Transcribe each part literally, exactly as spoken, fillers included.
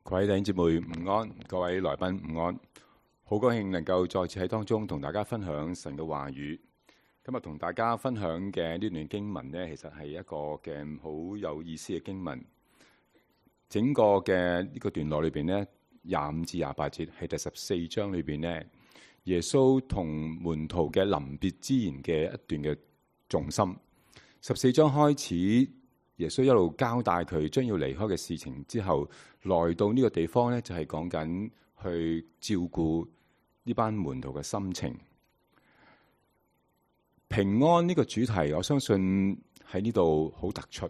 各位弟兄姊妹午安，各位來賓午安，好高興能夠再次喺當中同大家分享神嘅話語。今日同大家分享嘅呢段經文呢，其實係一個嘅好有意思嘅經文。整個嘅呢個段落裏邊呢，廿五至廿八節係第十四章裏邊呢，耶穌同門徒嘅臨別之言嘅一段嘅重心。十四章開始，耶穌一路交代佢將要離開嘅事情之後，來到呢個地方呢，就係講緊去照顧呢班門徒嘅心情。平安呢個主題，我相信喺呢度好突出。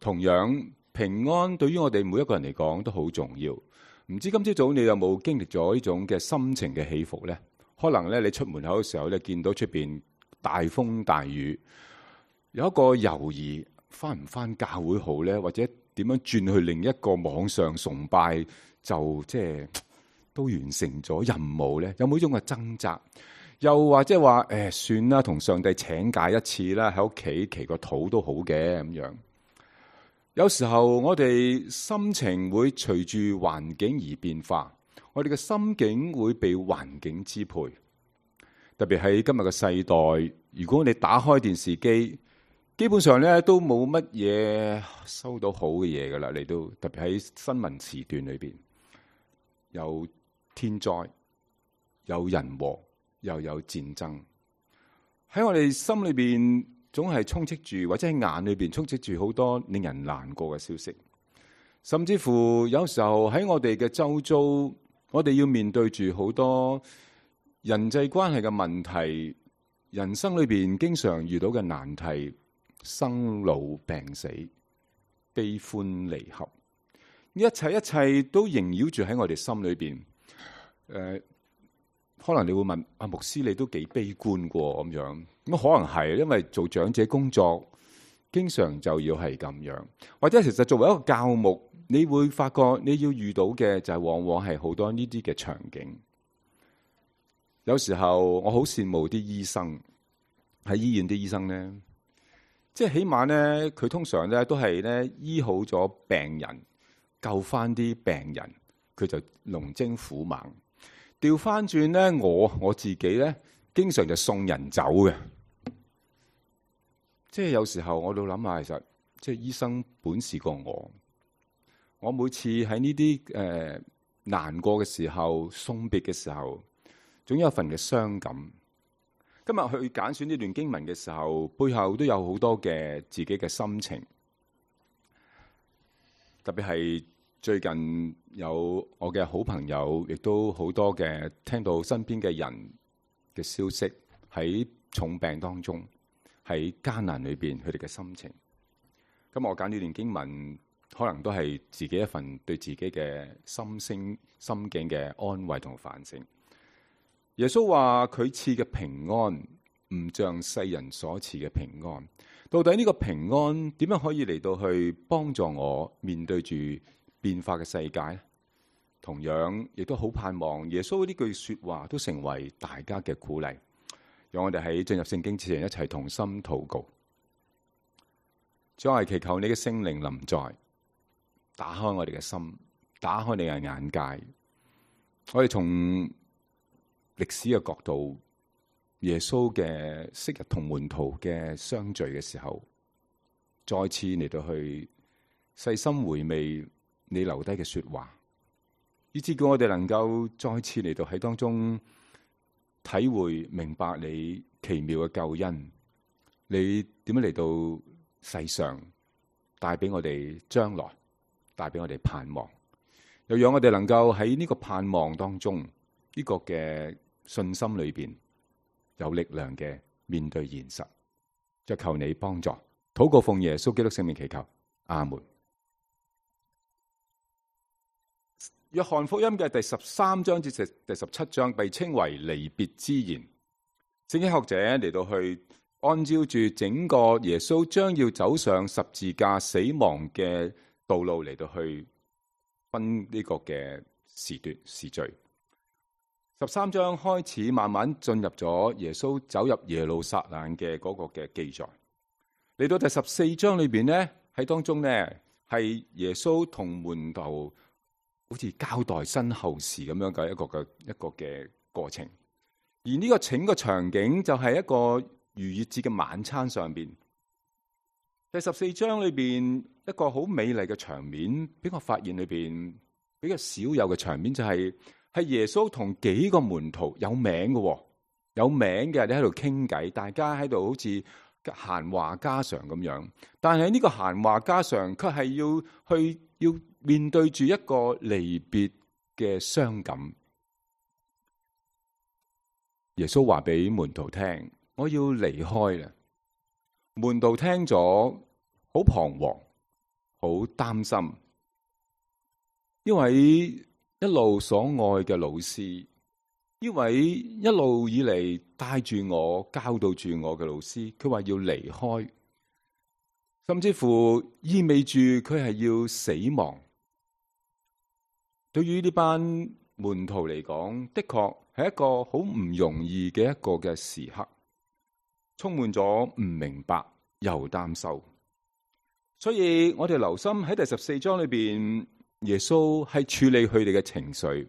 同樣，平安對於我哋每一個人嚟講都好重要。唔知今朝早你有冇經歷咗呢種嘅心情嘅起伏呢？可能咧，你出門口嘅時候咧，見到出邊大風大雨，有一個猶豫，翻唔翻教會好呢？或者點樣轉去另一個網上崇拜就即係都完成咗任務呢？有冇呢種嘅掙扎？又或者話誒，算啦，同上帝請假一次啦，喺屋企祈個禱都好嘅咁樣。有時候我哋心情會隨住環境而變化，我哋嘅心境會被環境支配。特別喺今日嘅世代，如果你打開電視機，基本上咧都冇乜嘢收到好嘅嘢噶啦。嚟到特別喺新聞時段裏邊，有天災，有人禍，又有戰爭。喺我哋心裏邊，總係充斥住，或者喺眼裏邊充斥住好多令人難過嘅消息，甚至乎有時候喺我哋嘅周遭，我哋要面對住好多人際關係嘅問題，人生裏邊經常遇到嘅難題，生老病死、悲歡離合，一切一切都縈繞住喺我哋心裏邊。誒、呃，可能你會問阿牧師，你都幾悲觀過咁樣？咁可能係，因為做長者工作，經常就要係咁樣。或者其實作為一個教牧，你會發覺你要遇到嘅就係往往係好多呢啲嘅場景。有時候我好羨慕啲醫生，喺醫院啲醫生咧，即係起碼咧，佢通常咧都係咧醫好咗病人，救翻啲病人，佢就龍精虎猛。調翻轉咧，我我自己咧，經常就送人走嘅。即係有時候我都諗下，其實即係醫生本事過我。我每次喺呢啲誒難過嘅時候、送別嘅時候，總有一份嘅傷感。今日去揀選呢段經文嘅時候，背後都有好多嘅自己嘅心情。特別係最近有我嘅好朋友，亦都好多嘅聽到身邊嘅人嘅消息，喺重病當中，喺艱難裏邊，佢哋嘅心情。咁我揀呢段經文，可能都係自己一份對自己嘅心聲、心境嘅安慰同反省。耶穌話佢賜嘅平安，唔像世人所賜嘅平安。到底呢個平安點樣可以嚟到去幫助我面對住變化嘅世界？同樣亦都好盼望耶穌呢句說話都成為大家嘅鼓勵。讓我哋喺進入聖經之前一齊同心禱告。主，我係祈求你嘅聖靈臨在，打開我哋嘅心，打開你嘅眼界。我哋從歷史嘅角度，耶穌嘅昔日同門徒嘅相聚嘅時候，再次嚟到去細心回味你留低嘅說話，以致叫我哋能夠再次嚟到喺當中體會明白你奇妙嘅救恩，你點樣嚟到世上帶俾我哋將來，帶俾我哋盼望，又讓我哋能夠喺呢個盼望當中，呢個嘅信心裏邊有力量嘅面對現實。就求你幫助，禱告奉耶穌基督聖名祈求，阿門。約翰福音嘅第十三章至第十七章被稱為離別之言。聖經學者嚟到去按照住整個耶穌將要走上十字架死亡嘅道路嚟到去分呢個嘅時段時序。十三章開始慢慢進入咗耶穌走入耶路撒冷嘅嗰個嘅記載。嚟到第十四章裏邊呢，喺當中呢係耶穌同門徒好似交代身後事咁樣嘅一個嘅一個嘅過程。而呢個整個場景就係一個逾越節嘅晚餐上邊。第十四章裏邊一個好美麗嘅場面，俾我發現裏邊比較少有嘅場面就係、是、係耶穌同幾個門徒有名嘅，有名嘅你喺度傾偈，大家喺度好似閒話家常咁樣。但係呢個閒話家常，卻係要去要面對住一個離別嘅傷感。耶穌話俾門徒聽：我要離開啦。門徒聽咗，好彷徨，好擔心，因為一路所愛嘅老師，呢位一路以嚟帶住我、教導住我嘅老師，佢話要離開，甚至乎意味住佢係要死亡。對於呢班門徒嚟講，的確係一個好唔容易嘅一個嘅時刻，充滿咗唔明白又擔憂。所以我哋留心喺第十四章裏邊，耶穌係處理佢哋嘅情緒。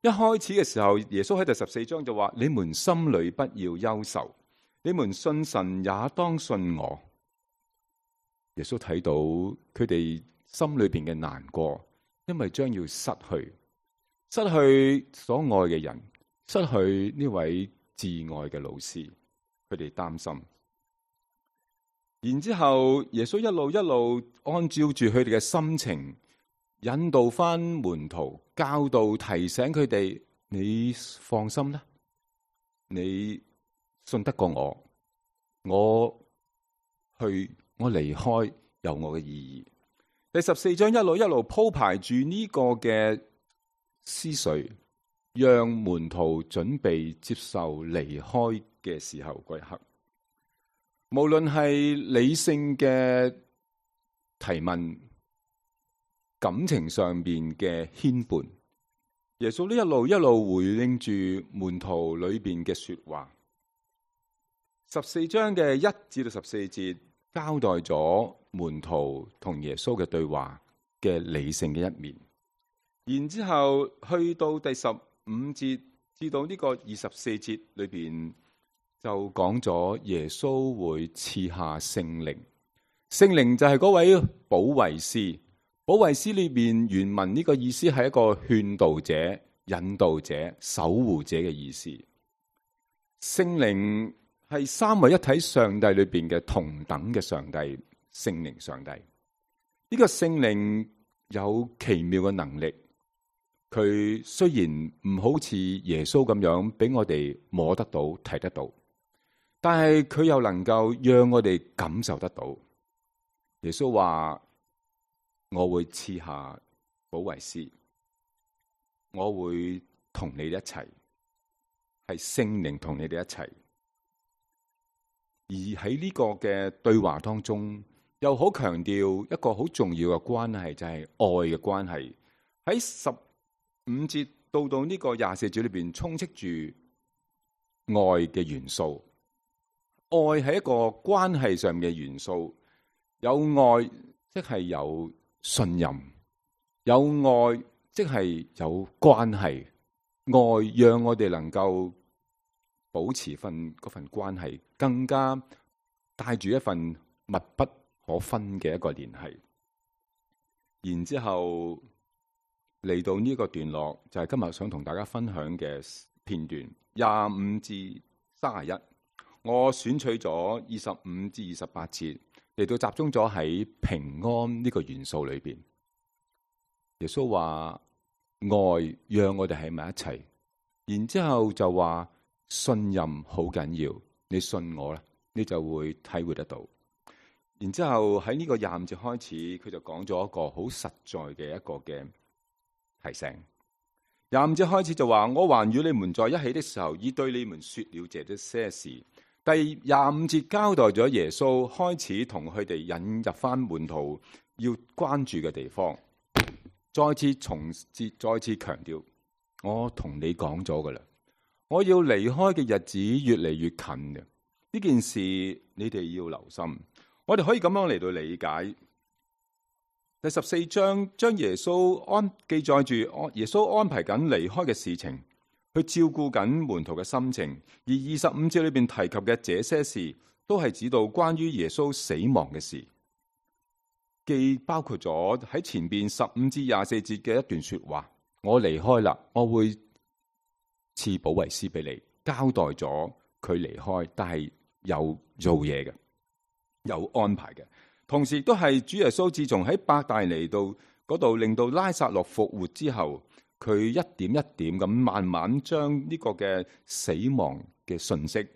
一開始嘅時候，耶穌喺第十四章就話：你們心裏不要憂愁，你們信神也當信我。耶穌睇到佢哋心裏邊嘅難過，因為將要失去，失去所愛嘅人，失去呢位摯愛嘅老師，佢哋擔心。然之後，耶穌一路一路按照住佢哋嘅心情，引導翻門徒，教導提醒佢哋：你放心啦，你信得過我，我去，我離開有我嘅意義。第十四章一路一路鋪排住呢個嘅思緒，讓門徒準備接受離開嘅時候嗰一刻。無論係理性嘅提問，感情上邊嘅牽絆，耶穌呢一路一路回應住門徒裏邊嘅說話。十四章嘅一至到十四節交代咗門徒同耶穌嘅對話嘅理性嘅一面，然之後去到第十五節至到呢個二十四節裏邊，就講咗耶穌會賜下聖靈。聖靈就係嗰位保惠師。保惠師裏邊原文呢個意思係一個勸導者、引導者、守護者嘅意思。聖靈係三位一體上帝裏邊嘅同等嘅上帝，聖靈上帝。呢個聖靈有奇妙嘅能力，佢雖然唔好似耶穌咁樣俾我哋摸得到、睇得到，但係佢又能夠讓我哋感受得到。耶穌話：我會賜下保惠師，我會同你哋一齊，係聖靈同你哋一齊。而喺呢個嘅對話當中，又好強調一個好重要嘅關係，就係愛嘅關係。喺十五節到到呢個廿四節裏邊，充斥住愛嘅元素。愛係一個關係上嘅元素，有愛即係有信任，有愛即係有關係。愛讓我哋能夠保持份嗰份關係，更加帶住一份密不可分嘅一個聯繫。然之後嚟到呢個段落，就係今日想同大家分享嘅片段，廿五至三十一。我選取咗二十五至二十八節嚟到集中咗喺平安呢個元素裏邊。耶穌話愛讓我哋喺埋一齊，然之後就話信任好緊要，你信我啦，你就會體會得到。然之後喺呢個廿五節開始，佢就講咗一個好實在嘅一個嘅提醒。廿五節開始就話：我還與你們在一起的時候，已對你們說了這些事。第廿五節交代咗耶穌開始同佢哋引入翻門徒要關注嘅地方，再次重節，再次強調，我同你講咗噶啦，我要離開嘅日子越嚟越近嘅，呢件事你哋要留心。我哋可以咁樣嚟到理解，第十四章將耶穌安記載住耶穌安排緊離開嘅事情，去照顧緊門徒嘅心情。而二十五節裏邊提及嘅這些事，都係指到關於耶穌死亡嘅事，既包括咗喺前邊十五至廿四節嘅一段說話：我離開啦，我會賜保惠師俾你，交代咗佢離開，但係有做嘢嘅，有安排嘅。同時亦都係主耶穌自從喺伯大尼度嗰度令到拉撒路復活之後，佢一點一點咁慢慢將呢個嘅死亡嘅訊息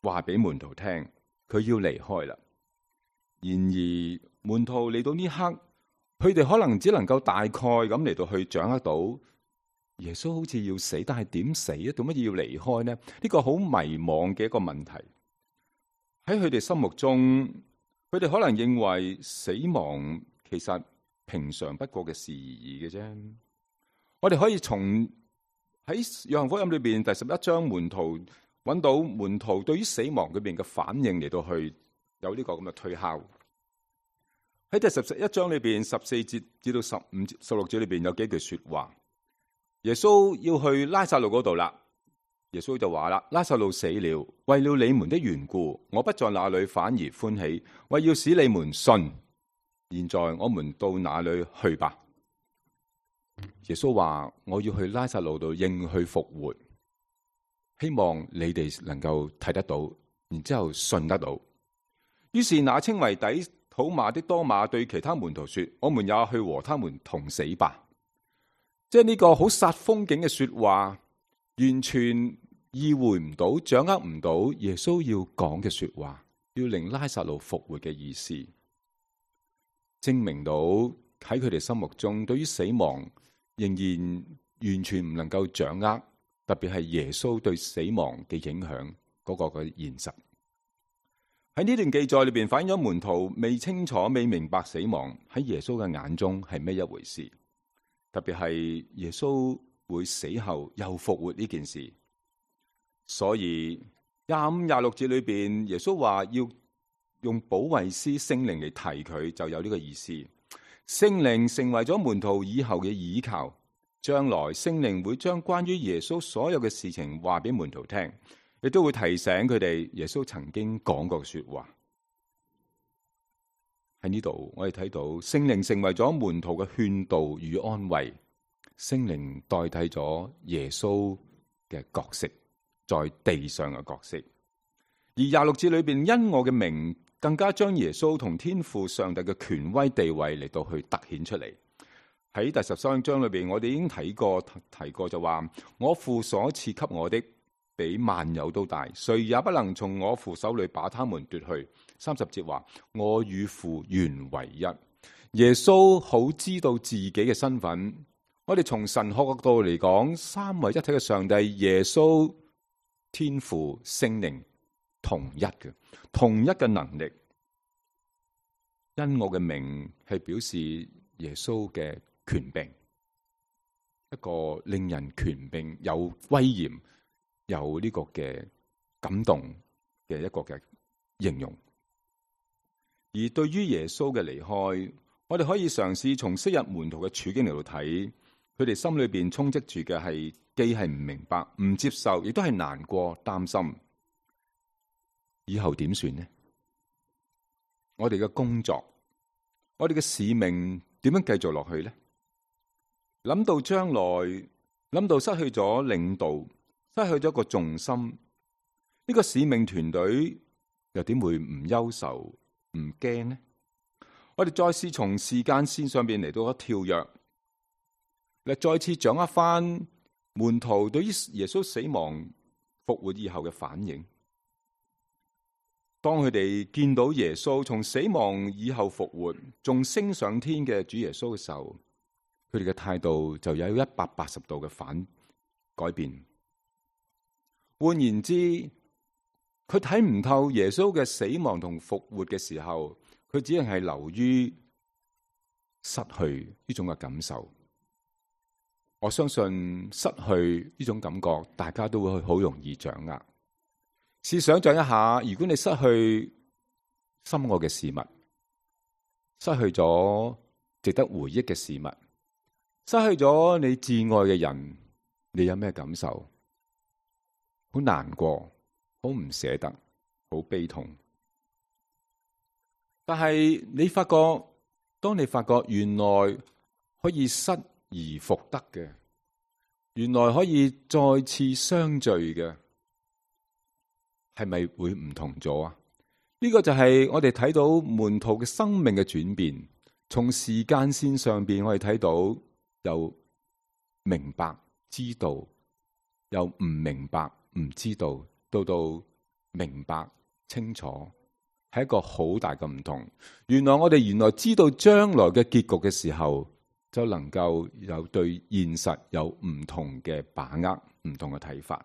話俾門徒聽，佢要離開啦。然而門徒嚟到呢刻，佢哋可能只能夠大概咁嚟到去掌握到耶穌好似要死，但係點死啊？做乜要離開呢？呢個好迷惘嘅一個問題。喺佢哋心目中，佢哋可能認為死亡其實平常不過嘅事而已嘅啫。我哋可以從喺約翰福音裏邊第十一章門徒揾到門徒對於死亡裏邊嘅反應嚟到去有呢個咁嘅推敲。喺第十一章裏邊十四節至到十五節、十六節裏邊有幾句說話。耶穌要去拉撒路嗰度啦。耶穌就話啦：拉撒路死了，為了你們的緣故，我不在那裏，反而歡喜，為要使你們信。現在我們到那裏去吧。耶穌話：我要去拉撒路度應去復活，希望你哋能夠睇得到，然之後信得到。於是那稱為底土馬的多馬對其他門徒說：我們也去和他們同死吧。即係呢個好煞風景嘅說話，完全意會唔到、掌握唔到耶穌要講嘅說話，要令拉撒路復活嘅意思，證明到喺佢哋心目中，對於死亡仍然完全唔能夠掌握，特別係耶穌對死亡嘅影響嗰個嘅現實。喺呢段記載裏邊反映咗門徒未清楚、未明白死亡喺耶穌嘅眼中係咩一回事，特別係耶穌會死後又復活呢件事。所以廿五、廿六節裏邊，耶穌話要用保惠師聖靈嚟提佢，就有呢個意思。聖靈成為咗門徒以後嘅依靠，將來聖靈會將關於耶穌所有嘅事情話俾門徒聽，亦都會提醒佢哋耶穌曾經講過嘅說話。喺呢度我哋睇到聖靈成為咗門徒嘅勸導與安慰，聖靈代替咗耶穌嘅角色，在地上嘅角色。而廿六節裏邊，因我嘅名更加將耶穌同天父上帝嘅權威地位嚟到去凸顯出嚟。喺第十三章裏邊，我哋已經睇過提過就話：我父所賜給我的比萬有都大，誰也不能從我父手裏把他們奪去。三十節話：我與父原為一。耶穌好知道自己嘅身份。我哋從神學角度嚟講，三位一體嘅上帝耶穌、天父、聖靈同一嘅，同一嘅能力。因我嘅名係表示耶穌嘅權柄，一個令人權柄、有威嚴、有呢個嘅感動嘅一個嘅形容。而對於耶穌嘅離開，我哋可以嘗試從昔日門徒嘅處境嚟到睇，佢哋心裏邊充斥住嘅係既係唔明白、唔接受，亦都係難過、擔心。以後點算呢？我哋嘅工作，我哋嘅使命點樣繼續落去呢？諗到將來，諗到失去咗領導，失去咗一個重心，呢個使命團隊又點會唔憂愁、唔驚呢？我哋再試從時間線上邊嚟到一跳躍，嚟再次掌握翻門徒對於耶穌死亡復活以後嘅反應。當佢哋見到耶穌從死亡以後復活，仲升上天嘅主耶穌嘅時候，佢哋嘅態度就有一百八十度嘅反改變。換言之，佢睇唔透耶穌嘅死亡同復活嘅時候，佢只係係流於失去呢種嘅感受。我相信失去呢種感覺，大家都會好容易掌握。試想象一下，如果你失去心愛嘅事物，失去咗值得回憶嘅事物，失去咗你至愛嘅人，你有咩感受？好難過，好唔捨得，好悲痛。但係你發覺，當你發覺原來可以失而復得嘅，原來可以再次相聚嘅，係咪會唔同咗啊？呢個就係我哋睇到門徒嘅生命嘅轉變。從時間線上邊，我哋睇到由明白知道，由唔明白唔知道，到到明白清楚，係一個好大嘅唔同。原來我哋原來知道將來嘅結局嘅時候，就能夠有對現實有唔同嘅把握，唔同嘅睇法。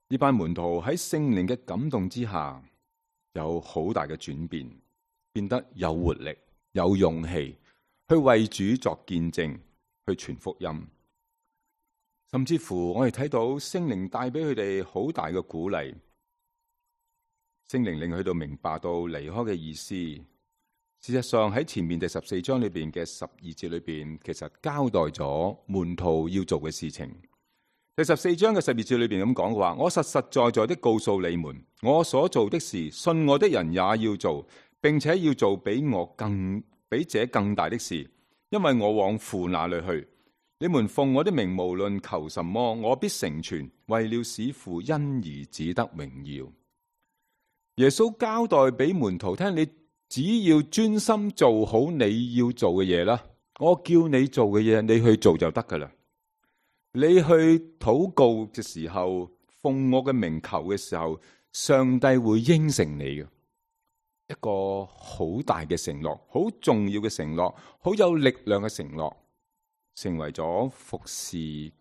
呢班門徒喺聖靈嘅感動之下，有好大嘅轉變，變得有活力、有勇氣去為主作見證，去傳福音。甚至乎我哋睇到聖靈帶俾佢哋好大嘅鼓勵，聖靈令佢哋明白到離開嘅意思。事實上喺前面第十四章裏邊嘅十二節裏邊，其實交代咗門徒要做嘅事情。第十四章嘅十二節裏邊咁講嘅話，我實實在在的告訴你們，我所做的事，信我的人也要做，並且要做比我更比這更大的事，因為我往父那裏去。你們奉我的名無論求什麼，我必成全，為了使父因兒子得榮耀。耶穌交代俾門徒聽，你只要專心做好你要做嘅嘢啦，我叫你做嘅嘢，你去做就得噶啦。你去禱告嘅時候，奉我嘅名求嘅時候，上帝會應承你嘅。一個好大嘅承諾，好重要嘅承諾，好有力量嘅承諾，成為咗服侍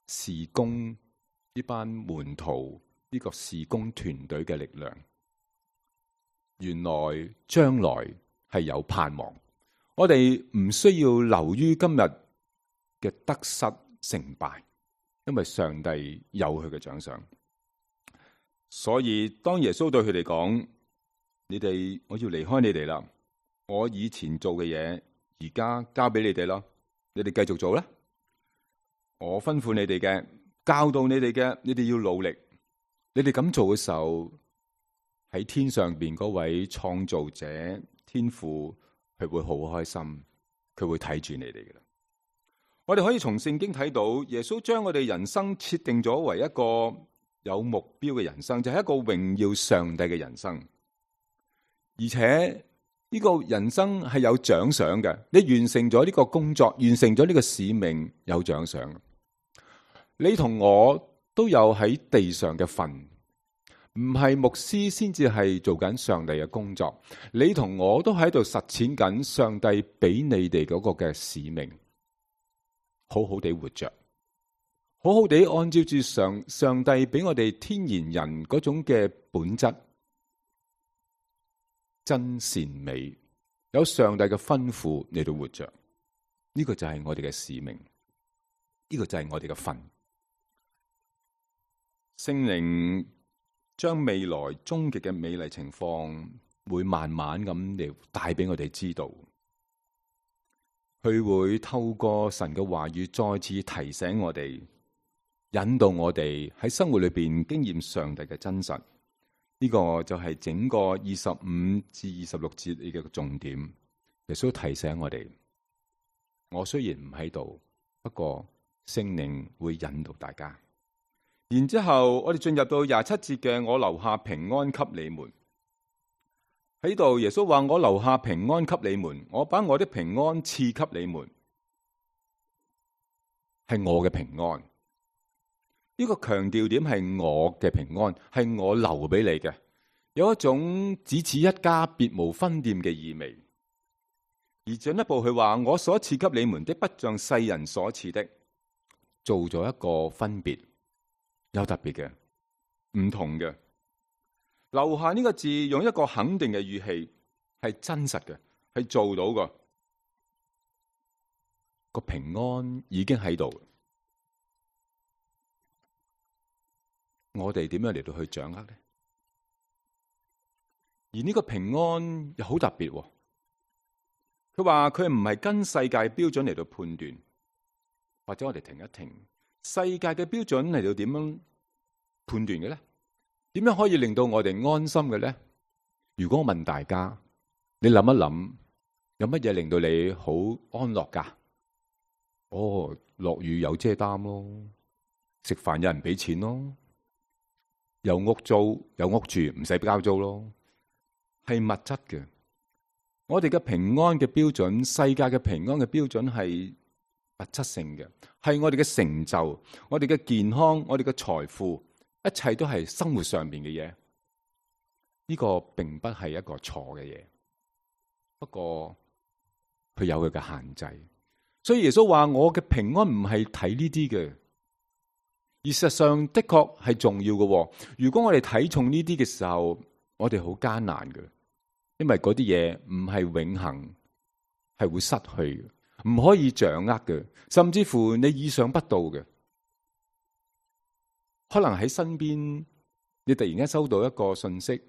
事工呢班門徒呢個事工團隊嘅力量。原來將來係有盼望，我哋唔需要留於今日嘅得失成敗，因為上帝有佢嘅獎賞。所以當耶穌對佢哋講，你哋我要離開你哋啦，我以前做嘅嘢而家交俾你哋啦，你哋繼續做啦。我吩咐你哋嘅，教導你哋嘅，你哋要努力。你哋咁做嘅時候，喺天上邊嗰位創造者天父，佢會好開心，佢會睇住你哋嘅啦。我哋可以從聖經睇到，耶穌將我哋人生設定咗為一個有目標嘅人生，就係一個榮耀上帝嘅人生。而且呢個人生係有獎賞嘅，你完成咗呢個工作，完成咗呢個使命，有獎賞。你同我都有喺地上嘅份，唔係牧師先至係做緊上帝嘅工作。你同我都喺度實踐緊上帝俾你哋嗰個嘅使命。好好地活着，好好地按照住上上帝俾我哋天然人嗰種嘅本質，真善美，有上帝嘅吩咐嚟到活着。呢個就係我哋嘅使命，呢個就係我哋嘅份。聖靈將未來終極嘅美麗情況，會慢慢咁嚟帶俾我哋知道。佢會透過神嘅話語再次提醒我哋，引導我哋喺生活裏邊經驗上帝嘅真實。呢個就係整個二十五至二十六節嘅重點。耶穌提醒我哋，我雖然唔喺度，不過聖靈會引導大家。然之後我哋進入到廿七節嘅，我留下平安給你們。喺度耶穌話，我留下平安給你們，我把我的平安賜給你們，係我嘅平安。呢個強調點係我嘅平安，係我留俾你嘅，有一種只此一家別無分店嘅意味。而進一步佢話，我所賜給你們的不像世人所賜的，做咗一個分別，有特別嘅，唔同嘅。留下呢個字用一個肯定嘅語氣，係真實嘅，係做到嘅。個平安已經喺度，我哋點樣嚟到去掌握呢？而呢個平安又好特別，佢話佢唔係跟世界標準嚟到判斷，或者我哋停一停，世界嘅標準嚟到點樣判斷嘅咧？點樣可以令到我哋安心嘅咧？如果我問大家，你諗一諗，有乜嘢令到你好安樂噶？哦，落雨有遮擔咯，食飯有人俾錢咯，有屋租有屋住唔使交租咯，係物質嘅。我哋嘅平安嘅標準，世界嘅平安嘅標準係物質性嘅，係我哋嘅成就、我哋嘅健康、我哋嘅財富，一切都係生活上面嘅嘢。呢個並不係一個錯嘅嘢，不過佢有佢嘅限制。所以耶穌話：我嘅平安唔係睇呢啲嘅，而事實上的確係重要嘅。如果我哋睇重呢啲嘅時候，我哋好艱難嘅，因為嗰啲嘢唔係永恆，係會失去嘅，唔可以掌握嘅，甚至乎你意想不到嘅。可能喺身邊，你突然間收到一個信息，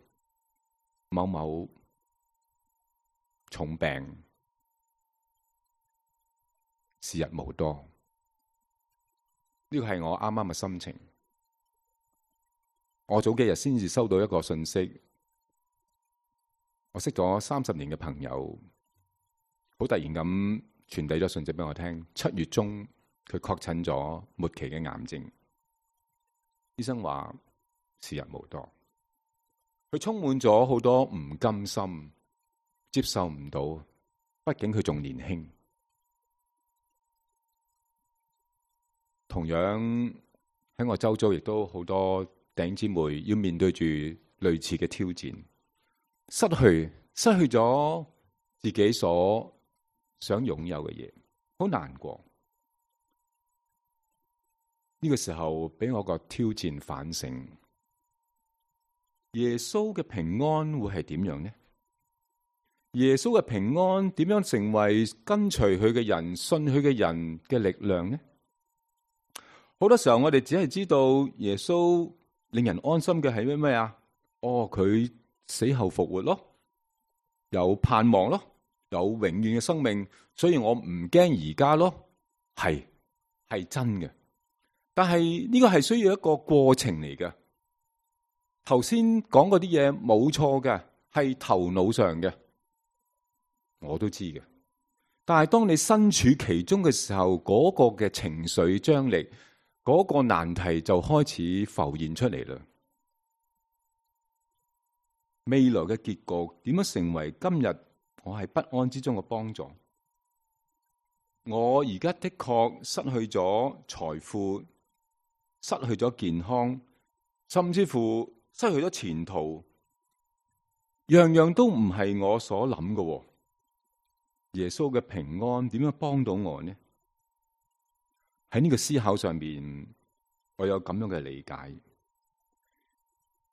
某某重病，時日無多。呢個係我啱啱嘅心情。我早幾日先至收到一個信息，我識咗三十年嘅朋友，好突然咁傳遞咗信息俾我聽。七月中佢確診咗末期嘅癌症，醫生話時日無多。佢充滿咗好多唔甘心，接受唔到，畢竟佢仲年輕。同樣喺我周遭亦都好多弟兄姊妹要面對住類似嘅挑戰，失去失去咗自己所想擁有嘅嘢，好難過。呢個時候俾我個挑戰反省，耶穌嘅平安會係點樣呢？耶穌嘅平安點樣成為跟隨佢嘅人、信佢嘅人嘅力量呢？好多時候我哋只係知道耶穌令人安心嘅係咩咩啊？哦，佢死後復活咯，有盼望咯，有永遠嘅生命，所以我唔驚而家咯。係係真嘅，但係呢個係需要一個過程嚟嘅。頭先講嗰啲嘢冇錯嘅，係頭腦上嘅，我都知嘅。但係當你身處其中嘅時候，嗰個嘅情緒張力，嗰個難題就開始浮現出嚟啦。未來嘅結局點樣成為今日我係不安之中嘅幫助？我而家的確失去咗財富，失去咗健康，甚至乎失去咗前途，樣樣都唔係我所諗嘅。耶穌嘅平安點樣幫到我呢？喺呢個思考上面，我有咁樣嘅理解。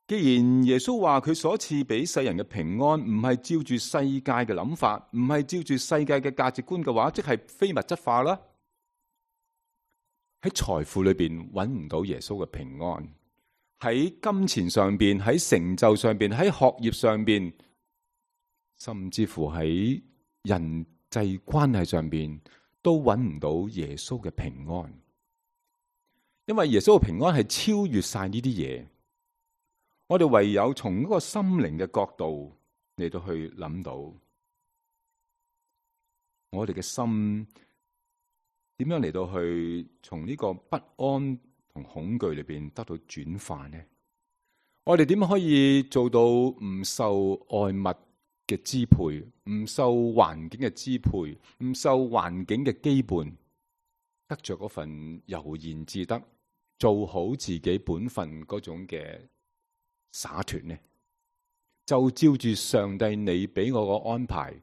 既然耶穌話佢所賜俾世人嘅平安唔係照住世界嘅諗法，唔係照住世界嘅價值觀嘅話，即係非物質化啦。喺財富裏邊揾唔到耶穌嘅平安，喺金錢上邊，喺成就上邊，喺學業上邊，甚至乎喺人際關係上邊，都揾唔到耶穌嘅平安。因為耶穌嘅平安係超越晒呢啲嘢。我哋唯有從一個心靈嘅角度嚟到去諗到，我哋嘅心點樣嚟到去從呢個不安同恐懼裏邊得到轉化呢？我哋點樣可以做到唔受外物嘅支配，唔受環境嘅支配，唔受環境嘅羈絆，得着嗰份悠然自得，做好自己本分嗰種嘅灑脫呢？就照住上帝你俾我個安排，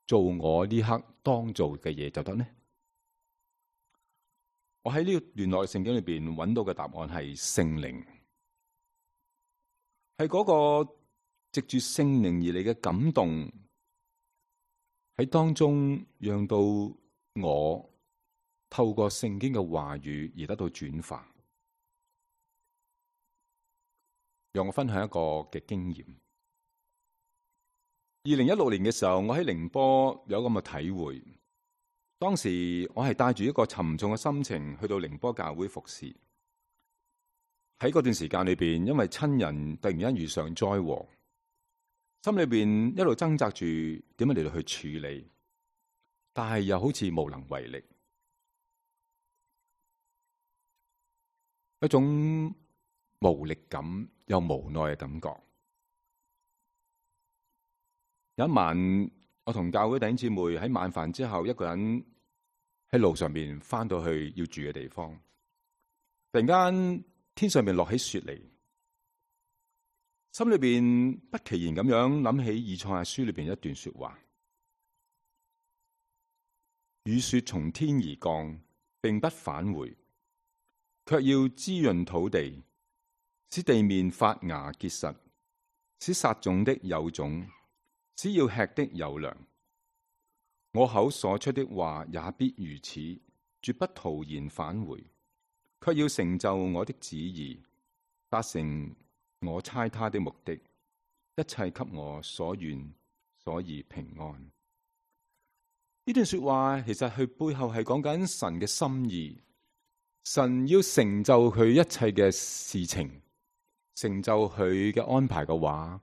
做我呢刻當做嘅嘢就得呢？我喺呢段內聖經裏邊揾到嘅答案係聖靈，係嗰個藉住聖靈而嚟嘅感動，喺當中讓到我透過聖經嘅話語而得到轉化。讓我分享一個嘅經驗。二零一六年嘅時候，我喺寧波有咁嘅體會。當時我係帶住一個沉重嘅心情去到寧波教會服侍。喺嗰段時間裏邊，因為親人突然間遇上災禍，心裏邊一路掙扎住點樣嚟到去處理，但係又好似無能為力，一種無力感又無奈嘅感覺。有一晚，我同教會弟兄姊妹喺晚飯之後，一個人喺路上面翻到去要住嘅地方，突然間天上面落起雪嚟，心裏邊不其然咁樣諗起以賽亞書裏邊一段說話：雨雪從天而降，並不返回，卻要滋潤土地，使地面發芽結實，使撒種的有種，使要吃的有糧。我口所出的話也必如此，絕不徒然返回，卻要成就我的旨意，達成我差他的目的，一切給我所願，所以平安。呢段說話其實佢背後係講緊神嘅心意，神要成就佢一切嘅事情，成就佢嘅安排嘅話，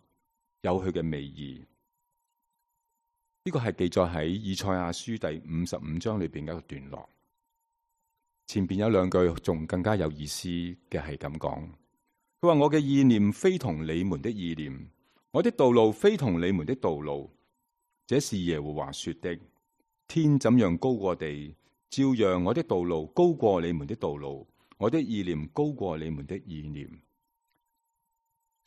有佢嘅美意。呢個係記載喺以賽亞書第五十五章裏邊嘅一個段落。前邊有兩句仲更加有意思嘅係咁講，佢話：我嘅意念非同你們的意念，我的道路非同你們的道路。這是耶和華說的。天怎樣高過地，照樣我的道路高過你們的道路，我的意念高過你們的意念。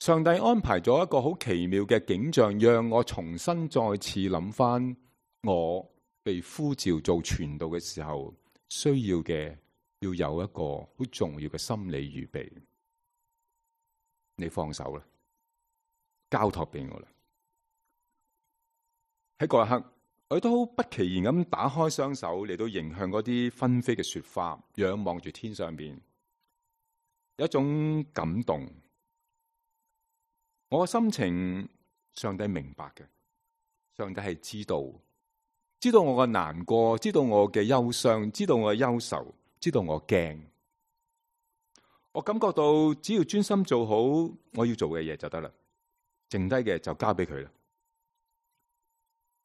上帝安排咗一個好奇妙嘅景象，讓我重新再次諗翻我被呼召做傳道嘅時候需要嘅，要有一個好重要嘅心理預備。你放手啦，交託俾我啦。喺嗰一刻，我都不其然咁打開雙手嚟到迎向嗰啲紛飛嘅雪花，仰望住天上邊，有一種感動。我嘅心情，上帝明白嘅，上帝係知道，知道我嘅難過，知道我嘅憂傷，知道我嘅憂愁，知道我驚。我感覺到只要專心做好我要做嘅嘢就得啦，剩低嘅就交俾佢啦。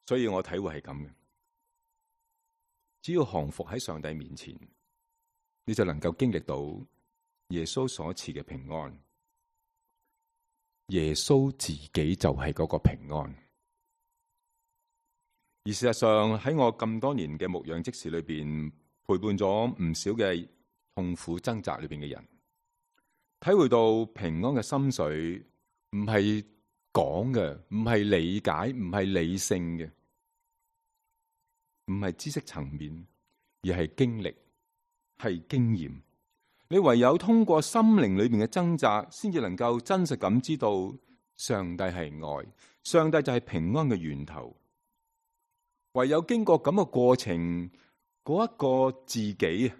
所以我體會係咁嘅，只要降服喺上帝面前，你就能夠經歷到耶穌所賜嘅平安。耶穌自己就係嗰個平安。而事實上喺我咁多年嘅牧養職事裏邊，陪伴咗唔少嘅痛苦掙扎裏邊嘅人，體會到平安嘅心水唔係講嘅，唔係理解，唔係理性嘅，唔係知識層面，而係經歷，係經驗。你唯有通過心靈裏面嘅掙扎，先至能夠真實咁知道上帝係愛，上帝就係平安嘅源頭。唯有經過咁嘅過程，嗰一個自己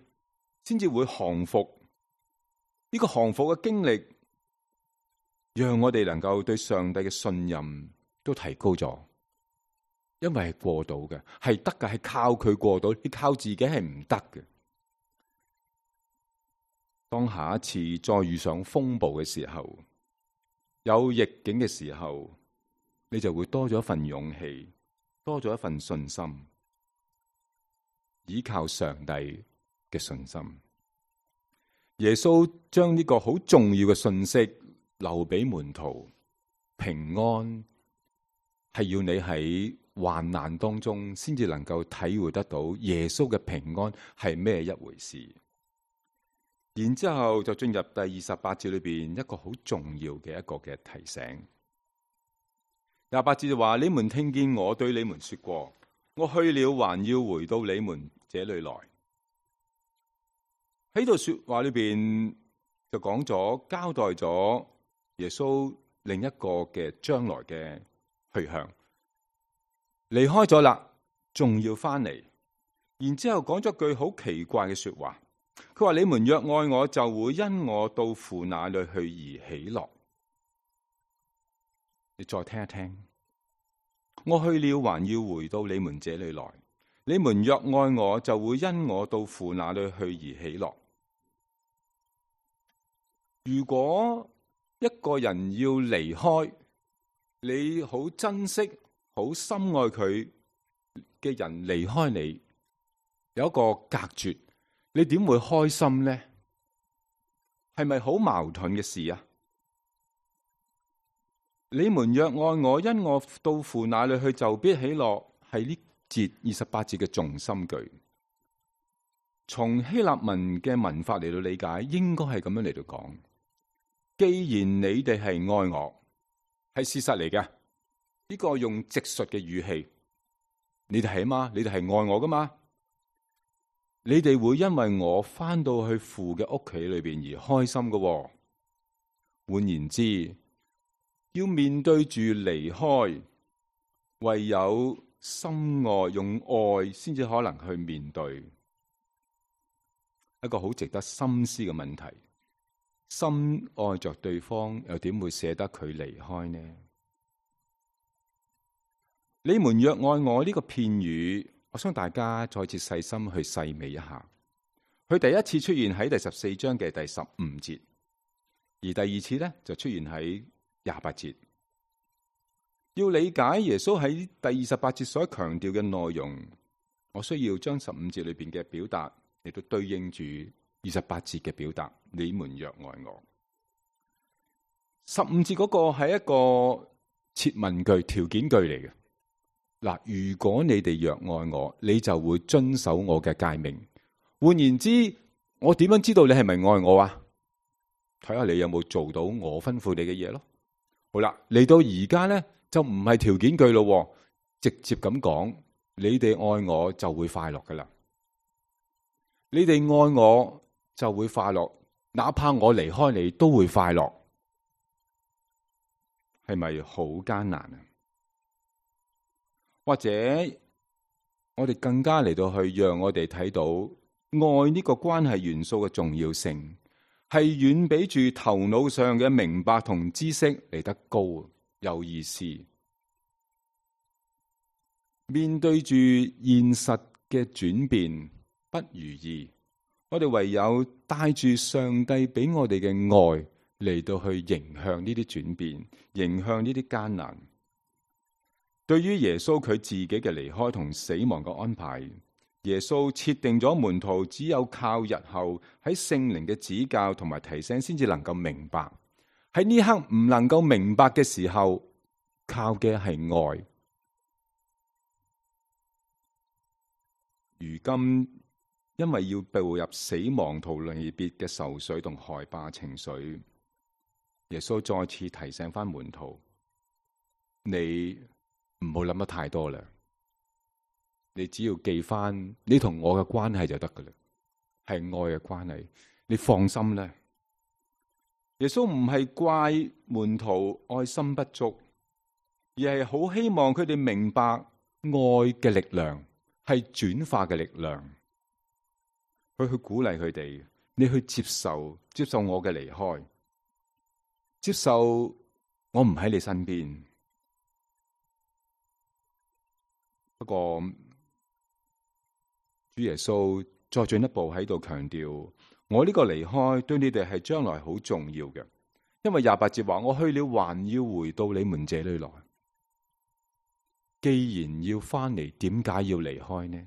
先至會降服。呢個降服嘅經歷，讓我哋能夠對上帝嘅信任都提高咗。因為係過到嘅，係得嘅，係靠佢過到，你靠自己係唔得嘅。當下一次再遇上風暴嘅時候，有逆境嘅時候，你就會多咗一份勇氣，多咗一份信心，依靠上帝嘅信心。耶穌將呢個好重要嘅信息留俾門徒，平安係要你喺患難當中先至能夠體會得到耶穌嘅平安係咩一回事。然之後就進入第二十八節裏邊一個好重要嘅一個嘅提醒。廿八節就話：你們聽見我對你們說過，我去了還要回到你們這裏來。喺度說話裏邊就講咗交代咗耶穌另一個嘅將來嘅去向。離開咗啦，仲要翻嚟。然之後講咗句好奇怪嘅說話。佢話：你們若愛我，就會因我到父那裏去而喜樂。你再聽一聽，我去了，還要回到你們這裏來。你們若愛我，就會因我到父那裏去而喜樂。如果一個人要離開，你好珍惜、好深愛佢嘅人離開你，有一個隔絕，你點會開心呢？係咪好矛盾嘅事啊？你們若愛我，因我到父那裏去，就必喜樂。係呢節二十八節嘅重心句。從希臘文嘅文法嚟到理解，應該係咁樣嚟到講。既然你哋係愛我，係事實嚟嘅。呢個用直述嘅語氣，你哋係啊嘛？你哋係愛我噶嘛？你哋會因為我翻到去父嘅屋企裏邊而開心噶喎。換言之，要面對住離開，唯有深愛，用愛先至可能去面對。一個好值得深思嘅問題。深愛着對方，又點會捨得佢離開呢？你們若愛我呢個片語，我想大家再次細心去細味一下。佢第一次出現喺第十四章嘅第十五節，而第二次呢就出現喺廿八節。要理解耶穌喺第二十八節所強調嘅內容，我需要將十五節裏邊嘅表達嚟到對應住二十八節嘅表達。你們若愛我，十五節嗰個係一個設問句、條件句嚟嘅。嗱，如果你哋若愛我，你就會遵守我嘅誡命。換言之，我點樣知道你係咪愛我啊？睇下你有冇做到我吩咐你嘅嘢咯。好啦，嚟到而家咧就唔係條件句咯，直接咁講，你哋愛我就會快樂噶啦。你哋愛我就會快樂，哪怕我離開你都會快樂，係咪好艱難啊？或者我哋更加嚟到去讓我哋睇到愛呢個關係元素嘅重要性，係遠比住頭腦上嘅明白同知識嚟得高，有意思。面對住現實嘅轉變不如意，我哋唯有帶住上帝俾我哋嘅愛嚟到去迎向呢啲轉變，迎向呢啲艱難。對於耶穌佢自己嘅離開同死亡嘅安排，耶穌設定咗門徒只有靠日後喺聖靈嘅指教同埋提醒先至能夠明白。喺呢刻唔能夠明白嘅時候，靠嘅係愛。如今因為要步入死亡同離別嘅愁緒同害怕情緒，耶穌再次提醒翻門徒：你唔好諗得太多啦，你只要記翻你同我嘅關係就得噶啦，係愛嘅關係，你放心啦。耶穌唔係怪門徒愛心不足，而係好希望佢哋明白愛嘅力量係轉化嘅力量，佢去鼓勵佢哋，你去接受接受我嘅離開，接受我唔喺你身邊。不過，主耶穌再進一步喺度強調，我呢個離開對你哋係將來好重要嘅，因為廿八節話：我去了，還要回到你們這裏來。既然要翻嚟，點解要離開呢？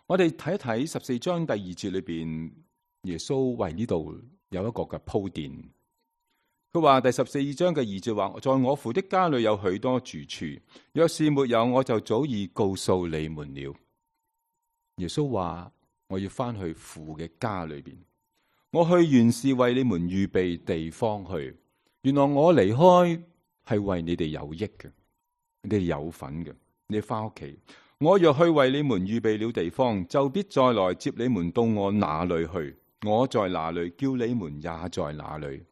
我哋睇一睇十四章第二節裏邊，耶穌為呢度有一個嘅鋪墊。佢話第十四章嘅二節話：在我父的家裏有許多住處，若是沒有，我就早已告訴你們了。耶穌話：我要翻去父嘅家裏邊，我去原是為你們預備地方去。原來我離開係為你哋有益嘅，你哋有份嘅。你翻屋企，我若去為你們預備了地方，就必再來接你們到我那裏去。我在哪裏，叫你們也在哪裏。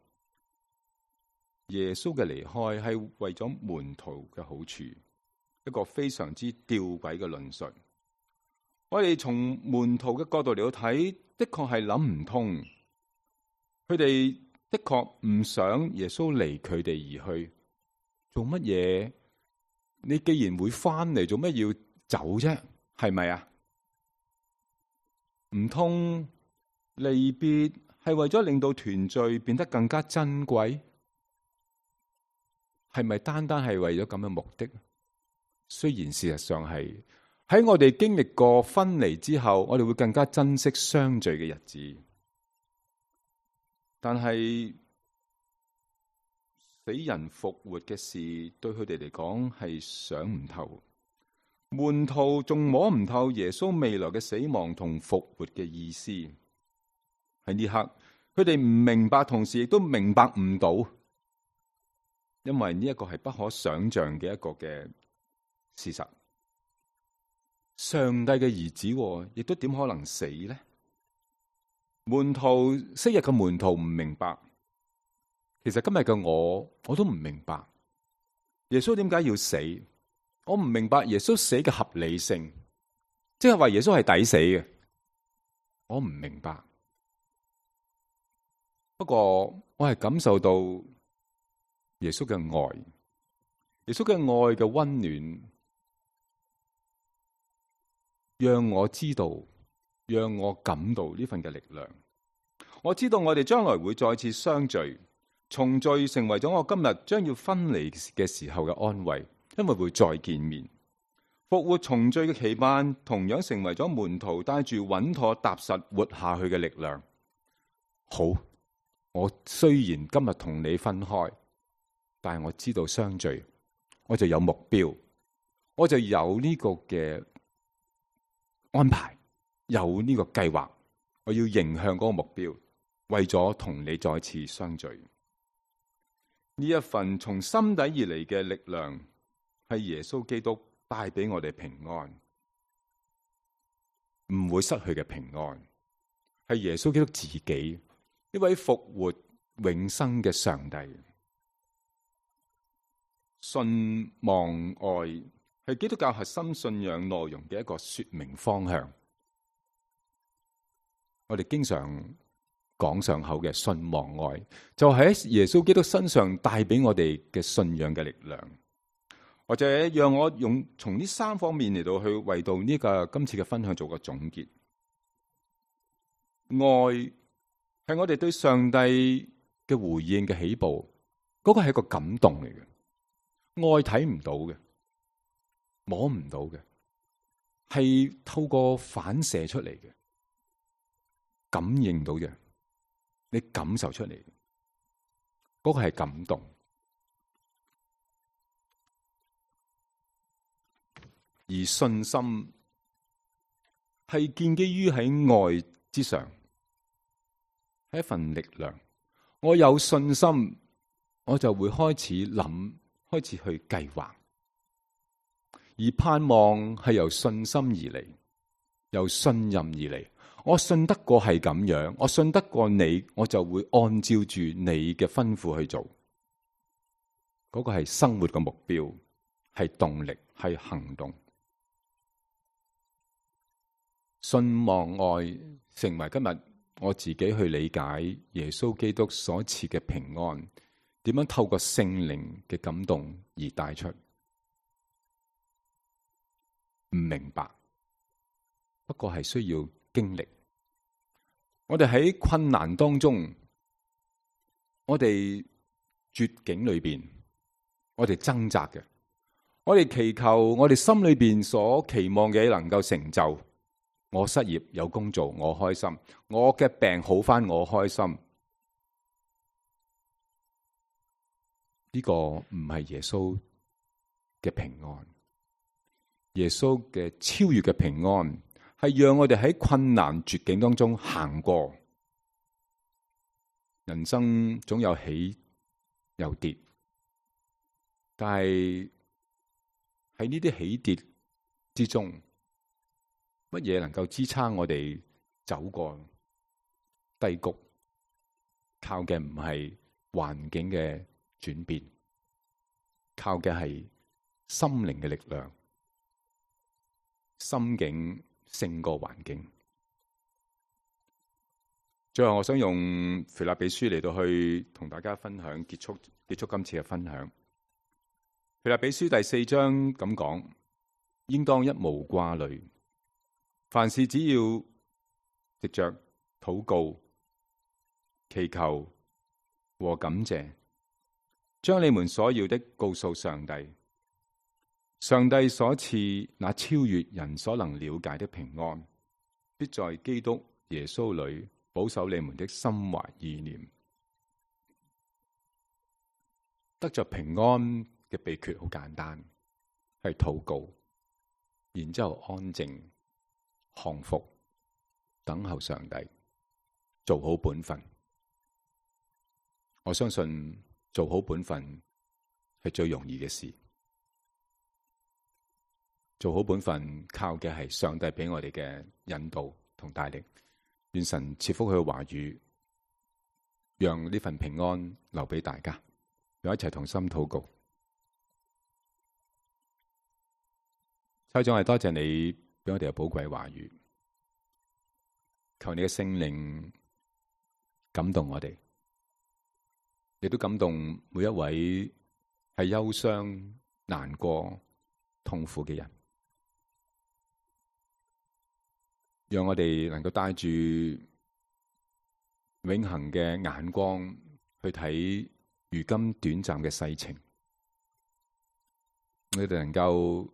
耶穌嘅離開係為咗門徒嘅好處，一個非常之吊詭嘅論述。我哋從門徒嘅角度嚟到睇，的確係諗唔通。佢哋的確唔想耶穌離佢哋而去，做乜嘢你既然會翻嚟，做咩要走啫？係咪啊？唔通離別係為咗令到團聚變得更加珍貴？係咪單單係為咗咁嘅目的？雖然事實上係喺我哋經歷過分離之後，我哋會更加珍惜相聚嘅日子。但係死人復活嘅事，對佢哋嚟講係想唔透。門徒仲摸唔透耶穌未來嘅死亡同復活嘅意思。喺呢刻，佢哋唔明白，同時亦都明白唔到，因為呢一個係不可想象嘅一個嘅事實。上帝嘅兒子，亦都點可能死呢？門徒昔日嘅門徒唔明白，其實今日嘅我，我都唔明白耶穌點解要死。我唔明白耶穌死嘅合理性，即係話耶穌係抵死嘅。我唔明白，不過我係感受到耶穌嘅愛，耶穌嘅愛嘅溫暖，讓我知道，讓我感到呢份嘅力量。我知道我哋將來會再次相聚，重聚成為咗我今日將要分離嘅時候嘅安慰。因為會再見面，復活重聚嘅期盼，同樣成為咗門徒帶住穩妥踏實活下去嘅力量。好，我雖然今日同你分開，但係我知道相聚，我就有目標，我就有呢個嘅安排，有呢個計劃，我要迎向嗰個目標，為咗同你再次相聚。呢一份從心底而嚟嘅力量，係耶穌基督帶俾我哋平安，唔會失去嘅平安。係耶穌基督自己，一位復活永生嘅上帝。信望愛係基督教核心信仰內容嘅一個說明方向。我哋經常講上口嘅信望愛，就喺耶穌基督身上帶俾我哋嘅信仰嘅力量。或者讓我用從呢三方面嚟到去為到呢個今次嘅分享做個總結。愛係我哋對上帝嘅回應嘅起步，嗰個係一個感動嚟嘅。愛睇唔到嘅，摸唔到嘅，係透過反射出嚟嘅，感應到嘅，你感受出嚟嘅，嗰個係感動。而信心係建基於喺愛之上，係一份力量。我有信心，我就會開始諗，開始去計劃。而盼望係由信心而嚟，由信任而嚟。我信得過係咁樣，我信得過你，我就會按照住你嘅吩咐去做。嗰個係生活嘅目標，係動力，係行動。信望愛成為今日我自己去理解耶穌基督所賜嘅平安，點樣透過聖靈嘅感動而帶出。唔明白，不過係需要經歷。我哋喺困難當中，我哋絕境裏邊，我哋掙扎嘅，我哋祈求我哋心裏邊所期望嘅能夠成就。我失業有工做，我開心；我嘅病好返，我開心。呢個唔係耶穌嘅平安。耶穌嘅超越嘅平安，係讓我哋喺困難絕境當中行過。人生總有起有跌，但係喺呢啲起跌之中，乜嘢能夠支撐我哋走過低谷？靠嘅唔係環境嘅轉變，靠嘅係心靈嘅力量。心境勝過環境。最後，我想用腓立比書嚟到去同大家分享，結束結束今次嘅分享。腓立比書第四章咁講，應當一無掛慮，凡事只要藉着禱告、祈求和感謝，將你們所要的告訴上帝。上帝所賜那超越人所能了解的平安，必在基督耶穌裏保守你們的心懷意念。得着平安嘅秘訣好簡單，係禱告，然之後安靜、降服、等候上帝，做好本分。我相信做好本分係最容易嘅事。做好本分靠嘅係上帝俾我哋嘅引導同帶領。願神賜福佢嘅話語，讓呢份平安留俾大家。讓一齊同心禱告。蔡總係多謝你俾我哋嘅寶貴話語，求你嘅聖靈感動我哋，亦都感動每一位係憂傷、難過、痛苦嘅人。讓我哋能夠帶住永恆嘅眼光去睇如今短暫嘅世情，我哋能夠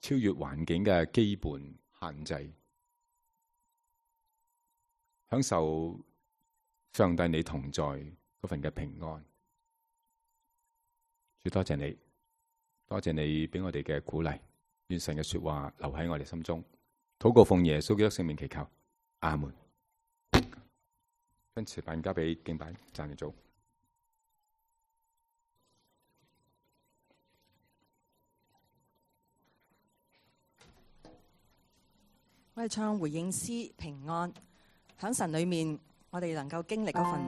超越環境嘅基本限制，享受上帝你同在嗰份嘅平安。主多謝你，多謝你俾我哋嘅鼓勵，願神嘅說話留喺我哋心中。禱告奉耶穌基督聖名祈求，阿門。將詞辦交俾敬拜讚美組。我哋唱回應詩平安，喺神裏面，我哋能夠經歷嗰份